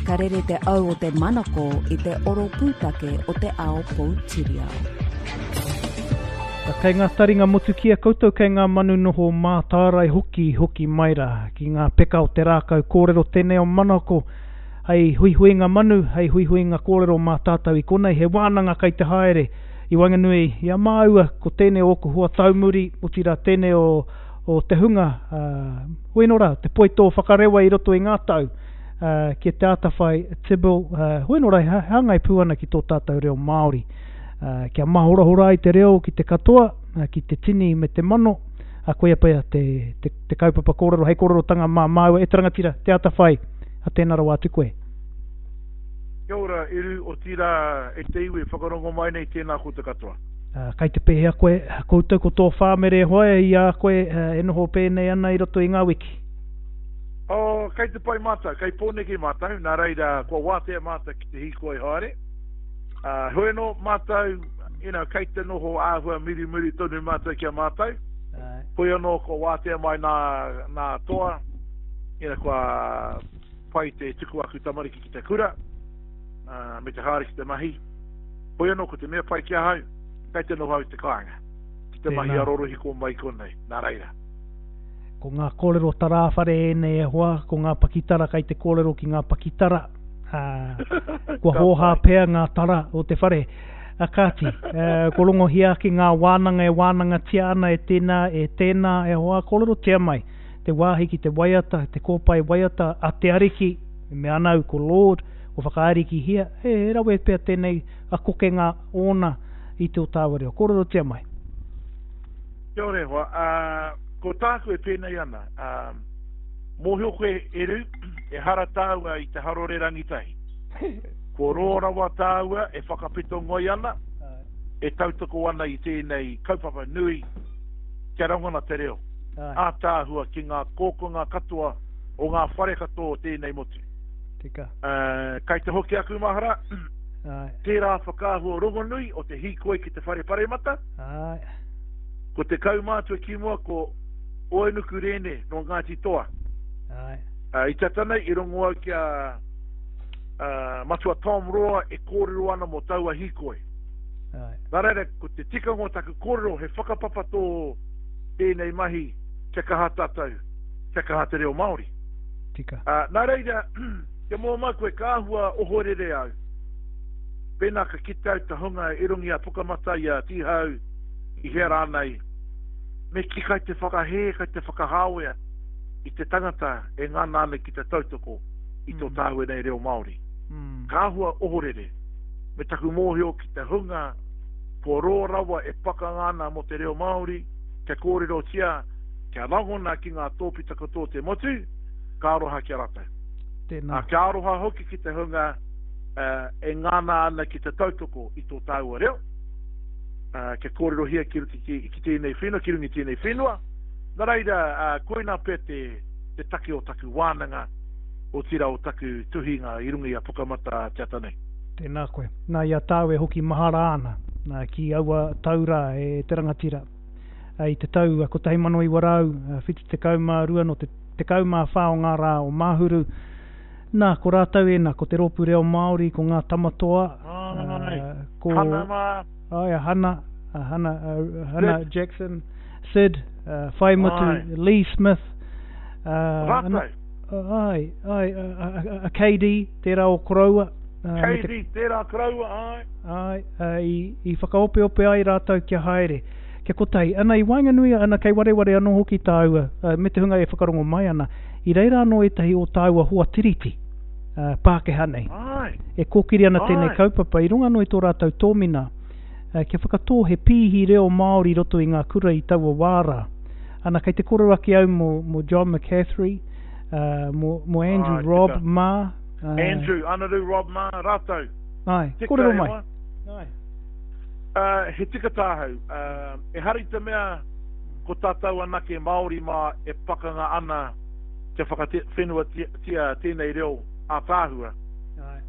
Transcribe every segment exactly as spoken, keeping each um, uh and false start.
Ka rere te au o te manako i te oro pūtake o te ao poutiriao. Kei ngā taringa motukia koutou, kei ngā manu noho mātārae hoki, hoki mai rā ki ngā peka o te rākau kōrero tēnei o Manako, hei huihuinga manu, hei huihuinga kōrero mā tātou i konei, he wānanga kei te haere i waenganui i a māua, ko tēnei o ōku hoa taumuri, otirā tēnei o, o te hunga, uh, hoi nō rā, te poitō whakarewa i roto i ngā tau, uh, ki te Atawhai Tibble, uh, hoi nō rā, he hāngai pū ana ki tō tātou reo Māori. Uh, kia mahorahora ai te reo ki te katoa, uh, ki te tini me te mano, uh, koia pea te, te, te kaupapa kōrero, hei kōrerotanga mā māua, e te rangatira, te Atawhai, a tēnā rawa atu koe. Kia ora, Eru, otirā e te iwi e whakarongo mai nei, tēnā koutou katoa. Uh, kai te pēhea koe, koutou ko tō whāmere e hoa i a koe uh, e noho pēnei ana i roto i ngā wiki? Oh, kei te pai mātou, kei Pōneke mātou, nā reira kua wātea mātou ki te hīkoi haere. Uh, hoi anō mātou, you know, kei te noho āhua mirimiri tonu mātou ki a mātou. Ai. Hoi anō kua wātea mai nā, nā toa, you know, kua pai te tuku aku tamariki ki te kura, uh, me te haere ki te mahi. Hoi anō ko te mea pai ki ahau, kei te noho au i te kāinga, ki te mahi Tēnā. a rorohiko mai konei, nā reira. Ko ngā kōrero tarāwhare ēnei e hoa, ko ngā pakitara kei te kōrero ki ngā pakitara. Ā, kua Ka hōhā pai. pea ngā tara o te whare. A kāti, eh, ko rongohia ake ngā wānanga e wānangatia ana e tēnā, e tēnā, e hoa, kōrerotia mai. Te wāhi ki te waiata, te kōpae waiata a te Ariki, e mea ana au ko Lord, ko whakaarikihia, he, he rawe pea tēnei a kokenga ōna i tō tāua reo. Kōrerotia mai. Kia ora e hoa, uh, ko tāku e pēnei ana, uh, mōhio koe Eru, ehara tāua i te harore rangitahi. Ko rō rawa tāua e whakapeto ngoi ana, e tautoko ana i tēnei kaupapa nui kia rangona te reo. Ai, Ātaahua ki ngā kōkonga katoa o ngā whare katoa o tēnei motu. tika. Uh, kai te hoki aku mahara, Ai, tērā whakaahua rongonui o te hīkoi ki te whare paremata, ai, ko te kaumātua ki mua ko Oenuku Rēne nō Ngāti Toa. ai, Uh, i tata nei i rongo au ki a uh, Matua Tom Roa e kōrero ana mō taua hīkoi. ai. Nā reira, ko te tikanga o taku kōrero he whakapapa tō tēnei mahi kia kaha tātou, kia kaha te reo Māori. Tika. Uh, nā reira, kia mō mai koe ka āhua ohorere au. Pēnā ka kite au te hunga i runga i a Pukamata, i a Tīhau, i hea rānei, me ki kai te whakahē, kai te whakahāwea i te tangata e ngana ana ki te tautoko i tō Mm. tāua nei reo Māori. Mm. Ka āhua ohorere, me taku mōhio ki te hunga kua rō rawa e pakanga ana mō te reo Māori, kia kōrerotia, kia rangona ki ngā tōpita katoa o te motu, ka aroha ki a rātou. Tēnā. Ā, kia aroha hoki ki te hunga uh, e ngana ana ki te tautoko i tō tāua reo, uh, kia kōrerohia ki, ki, ki, ki tēnei whenua, ki runga i tēnei whenua. Nā reira, uh, koinā pea te, te take o taku wānanga, otirā o taku tuhinga i runga i a Pukamata te ata nei. Tēnā koe. Nā i a tāu e hoki mahara ana, nā, ki aua taura e te rangatira. I te tau kotahi mano iwa rau, whitu tekau mā rua no te tekau mā whā o ngā rā o Māhuru. Nā, ko rātou ēnā, ko te rōpū reo Māori, ko ngā tamatoa, Ai, uh, ko Hana mā. Ai, a Hana, a Hana, a Hana Sid. Jackson, Sid, uh, Whaimutu, Ai. Lee Smith, uh, Rātou. Ai, ai, a, a, a, a K D, tērā o Koroua. Uh, me te K D, tērā Koroua, ai. Ai, uh, i, i whakaopeope ai rātou kia haere, kia kotahi. Ana i waenganui, ana kei wareware anō hoki tāua, uh, me te hunga e whakarongo mai ana, i reira anō ētahi o tāua hoa tiriti, uh, Pākehā nei. Ai. E kōkiri ana tēnei Ai. kaupapa, i runga anō i tō rātou tōmina, uh, kia whakatō he pīhi reo Māori roto i ngā kura i taua wā rā. Ana kei te kōrero ake au mō, mō John McCaffrey, uh, mō, mō Andrew Ai, Robb tika. mā. Uh, Andrew, Anaru Robb mā, rātou. Ai, Tika kōrero e mai. hoa. Ai. Uh, he tika tāhau. Uh, e hari te mea ko tātou anake Māori mā e pakanga ana kia whakawhenuatia tēnei reo ātaahua. Ai.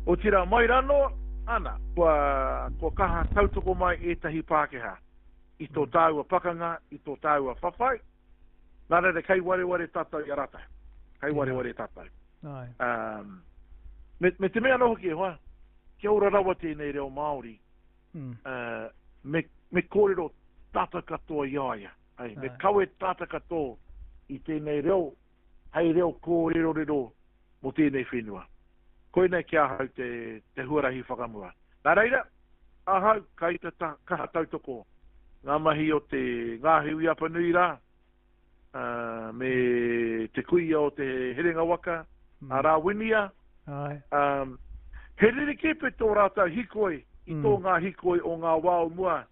Otirā mai rano, ana, kua, kua kaha tautoko mai ētahi Pākehā i tō tāua pakanga, i tō tāua whawhai. Nā reira, kei wareware tātou i a rātou. Kei wareware tātou. Ai. Um, Me, me te mea anō hoki e hoa, kia ora rawa tēnei reo Māori, Mm. uh, me, me kōrero tātou katoa i a ia. Ai, me Ai. kawe tātou katoa i tēnei reo, hei reo kōrerorero mō tēnei whenua. Koinei ki ahau te, te huarahi whakamua. Nā reira, ahau kai te ta, kaha tautoko ngā mahi o te Ngāhiwi Apanui rā, uh, me te kuia o te Herenga Waka, Mm. a Rāwinia, Ai. um, he rerekē pe tō rātou hikoi i Mm. tō ngā hikoi o ngā wā o mua.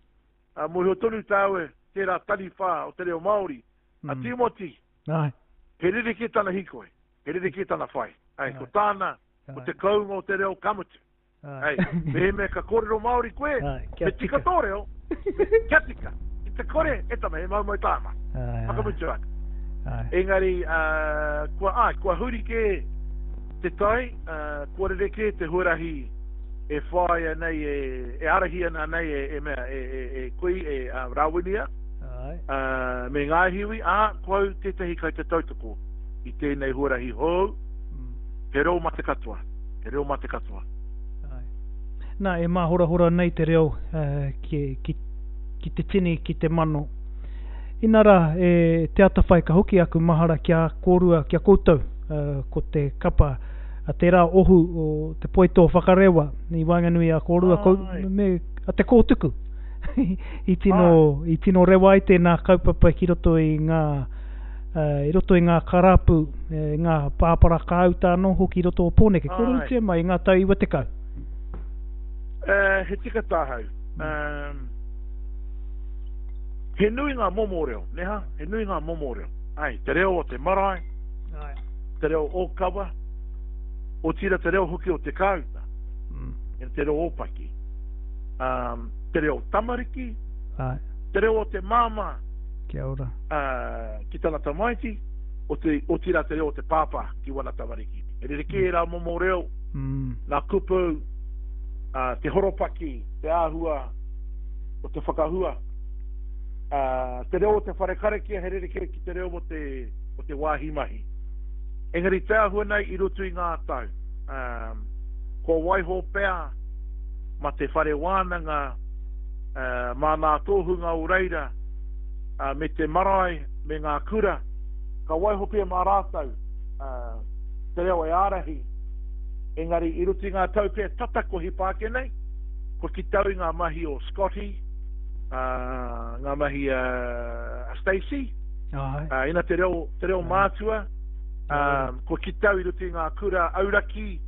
Uh, mōhio tonu tāua tērā taniwha o te reo Māori, a Mm. Timoti, Ai. he rerekē tana hikoi, he rerekē tana whai. Ai, ko Ai. tāna, ko Ai. te kounga o te reo ka mutu. Ai. Ai, mehemea ka kōrero Māori koe, Ai, kia me tika tika. tō reo, me kia tika. Ki te kore, e tama, he maumau tāma. Ai, ai. Whakamutu ake. Ai. Engari, uh, kua, ai, kua huri kē te tai, uh, kua rerekē te huarahi e whāia nei, e, e arahi ana nei e, e mea, e, e, e kui, e uh, Rāwinia, Ai. uh, me Ngāhiwi, ā, ko au tētahi kai te tautoko i tēnei huarahi hou, Mm. he reo mā te katoa, he reo mā te katoa. Ai. Nā, e māhorahora nei te reo uh, ki, ki, ki te tini, ki te mano. Ina rā, e, te atawhai ka hoki aku mahara kia kōrua, kia koutou, uh, ko te kapa, a tērā ohu o te poito whakarewa i waenganui a kōrua, kou, Ai. me, a te kōtuku. I tino, i tino rewa ai tēnā kaupapa ki roto i ngā, uh, i roto i ngā karapu, e, ngā pāpara kāuta anō hoki i roto o Pōneke. Ai. Kōrerotia mai i ngā tau iwa tekau. Uh, he tika tāhau. Um, he nui ngā momo reo, neha? He nui ngā momo reo. Ai, te reo o te marae, Ai. te reo ōkawa, otira te reo hoki o te kāuta, Mm. e te reo ōpaki. Um, te reo tamariki, Ai. te reo o te māmā Kia ora. uh, ki tana tamaiti, o te, otira te reo o te pāpā ki wana tamariki. E rerekē rā momo reo, Mm. nā kupu, uh, te horopaki, te āhua o te whakahua. Uh, te reo o te whare karakia he rerekē ki te reo o te, o te wāhi mahi. Engari te āhua nei i roto i ngā tau. Um, kua waiho pea ma te whare wānanga, uh, mā nā tōhunga o reira, uh, me te marae, me ngā kura, ka waiho pea mā rātou uh, te reo e ārahi. Engari i roto i ngā tau pea tata ko hipa ake nei, kua ki tau i ngā mahi o Scotty, uh, ngā mahi uh, a Stacey, Ai. uh, ina te reo, te reo Ai. mātua, um, kua ki tau i roto i ngā kura auraki,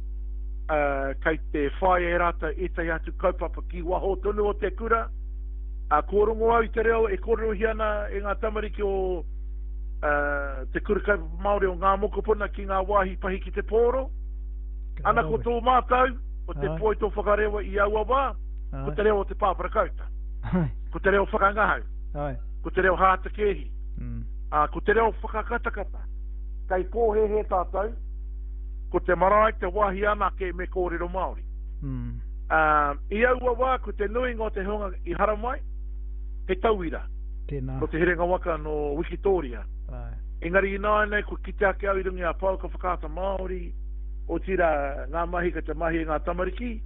uh, kei te whai e rātou ētahi atu kaupapa ki waho tonu o te kura. Uh, kua rongo au i te reo e kōrerohia ana e ngā tamariki o uh, te kura kaupapa Māori o ngā mokopuna ki ngā wāhi pahi ki te pōro. Ka Ana ko rawe. tō mātou, o te Ai. poi tō whakarewa i aua wā, ko Ai. te reo o te pāpara kauta, Ai. ko te reo whakangahau, Ai. ko te reo hātakēhi, Mm. uh, ko te reo whakakatakata. Kei pōhēhē tātou, ko te marae te wāhi anake me kōrero Māori. Mm. Uh, i aua wā, ko te nuinga o te hunga i haramai, he tauira, Tēnā. no te Herenga Waka no Wikitoria. Ai. Engari ināianei, kua kite ake au i runga i a Pouaka Whakaata Māori, otira ngā mahi ka te mahi e ngā tamariki,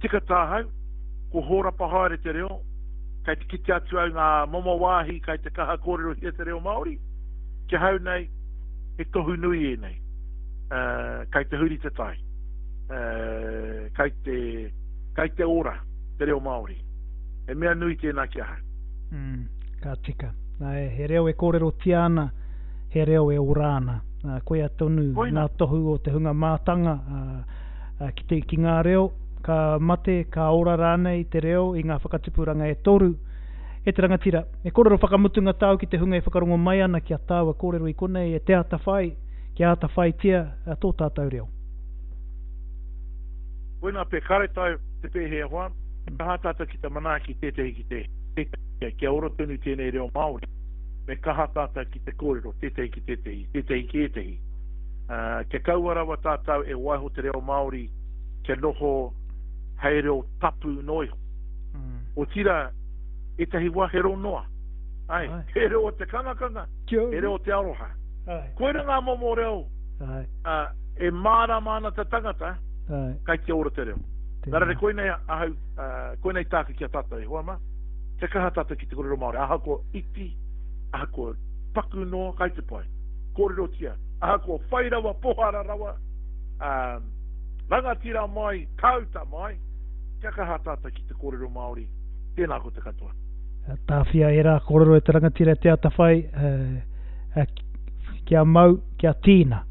tika tāhau, ko hōrapa haere te reo, kei te kite atu au ngā momo wāhi kei te kaha kōrerohia te reo Māori, ki ahau nei, he tohu nui ēnei, uh, kei te huri te tai, uh, kei te, kei te ora te reo Māori. He mea nui tēnā ki ahau. Mm. Ka tika. Nā, e, he reo e kōrerotia ana, he reo e ora ana. Nā, koia tonu Koina. ngā tohu o te hunga mātanga uh, uh, ki, te, ki ngā reo, ka mate, ka ora rānei te reo i ngā whakatipuranga e toru. E te rangatira, e kōrero whakamutunga tāu ki te hunga e whakarongo mai ana ki a tāua kōrero i konei e te atawhai, kia atawhaitia uh, tō tātou reo. Koina pe karetai te pēhea hoa, me kaha tātou ki te manaaki tētehi ki te tētehi, kia ora tonu tēnei reo Māori. Me kaha tātou ki te kōrero, tētehi ki tētehi, tētehi ki ētehi. Uh, kia kaua rawa tātou e waiho te reo Māori kia noho hei reo tapu noa iho. Mm. Otira, ētahi wā he reo noa. Ai, Ai. he reo o te kangakanga, Kia he reo o te aroha. Ai. Koira ngā momo reo Ai. uh, e mārama ana te tangata, Ai. Kai te ora te reo. Tēnā. Nā reira, koinei ahau, uh, koinei tāku ki a tātou e hoa mā. Kia kaha tātou ki te kōrero Māori. Ahakoa iti, ahakoa paku noa, kai te pai. Kōrerotia. Ahakoa whai rawa, pohara rawa, um, rangatira mai, kāuta mai, kia kaha tātou ki te kōrero Māori. Tēnā ko te katoa. Tāwhia e rā kōrero e te rangatira te atawhai, uh, uh, kia mau, kia tīna.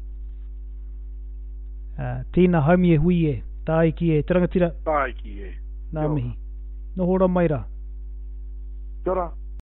Uh, tīna haumi e hui e, tāiki e, te rangatira. Tāiki e. Nā mihi. Noho ora mai rā. Kia ora.